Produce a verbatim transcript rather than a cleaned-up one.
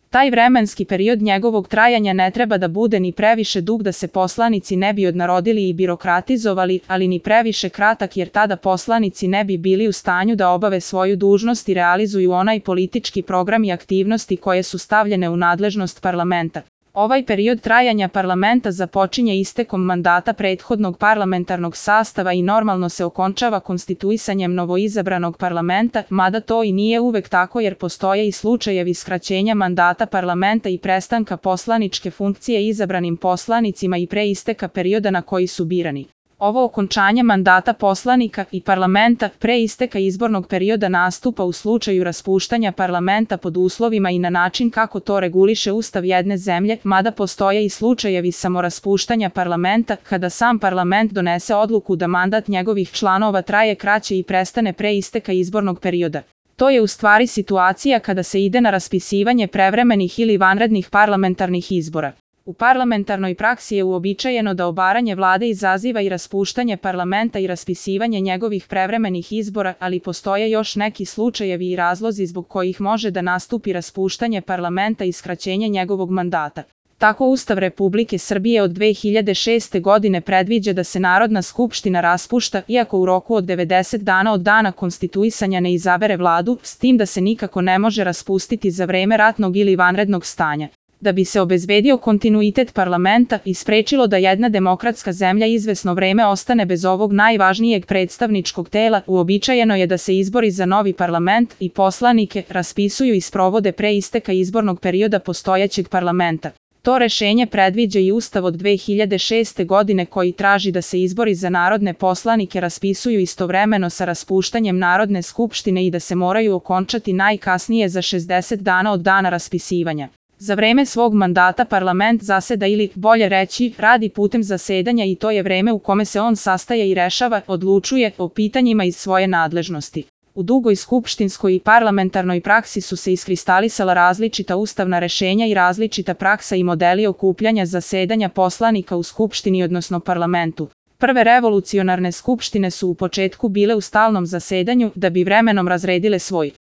Taj vremenski period njegovog trajanja ne treba da bude ni previše dug da se poslanici ne bi odnarodili i birokratizovali, ali ni previše kratak jer tada poslanici ne bi bili u stanju da obave svoju dužnost i realizuju onaj politički program i aktivnosti koje su stavljene u nadležnost parlamenta. Ovaj period trajanja parlamenta započinje istekom mandata prethodnog parlamentarnog sastava i normalno se okončava konstituisanjem novoizabranog parlamenta, mada to i nije uvek tako jer postoje i slučajevi skraćenja mandata parlamenta i prestanka poslaničke funkcije izabranim poslanicima i pre isteka perioda na koji su birani. Ovo okončanje mandata poslanika i parlamenta pre isteka izbornog perioda nastupa u slučaju raspuštanja parlamenta pod uslovima i na način kako to reguliše Ustav jedne zemlje, mada postoje i slučajevi samoraspuštanja parlamenta kada sam parlament donese odluku da mandat njegovih članova traje kraće i prestane pre isteka izbornog perioda. To je u stvari situacija kada se ide na raspisivanje prevremenih ili vanrednih parlamentarnih izbora. U parlamentarnoj praksi je uobičajeno da obaranje vlade izaziva i raspuštanje parlamenta i raspisivanje njegovih prevremenih izbora, ali postoje još neki slučajevi i razlozi zbog kojih može da nastupi raspuštanje parlamenta i skraćenje njegovog mandata. Tako Ustav Republike Srbije od dve hiljade šeste. godine predviđa da se Narodna skupština raspušta, iako u roku od devedeset dana od dana konstituisanja ne izabere vladu, s tim da se nikako ne može raspustiti za vreme ratnog ili vanrednog stanja. Da bi se obezbedio kontinuitet parlamenta i sprečilo da jedna demokratska zemlja izvesno vreme ostane bez ovog najvažnijeg predstavničkog tela, uobičajeno je da se izbori za novi parlament i poslanike raspisuju i sprovode pre isteka izbornog perioda postojećeg parlamenta. To rešenje predviđa i Ustav od dve hiljade šeste. godine koji traži da se izbori za narodne poslanike raspisuju istovremeno sa raspuštanjem Narodne skupštine i da se moraju okončati najkasnije za šezdeset dana od dana raspisivanja. Za vreme svog mandata parlament zaseda ili, bolje reći, radi putem zasedanja i to je vreme u kome se on sastaje i rešava, odlučuje o pitanjima iz svoje nadležnosti. U dugoj skupštinskoj i parlamentarnoj praksi su se iskristalisala različita ustavna rešenja i različita praksa i modeli okupljanja zasedanja poslanika u skupštini odnosno parlamentu. Prve revolucionarne skupštine su u početku bile u stalnom zasedanju da bi vremenom razredile svoj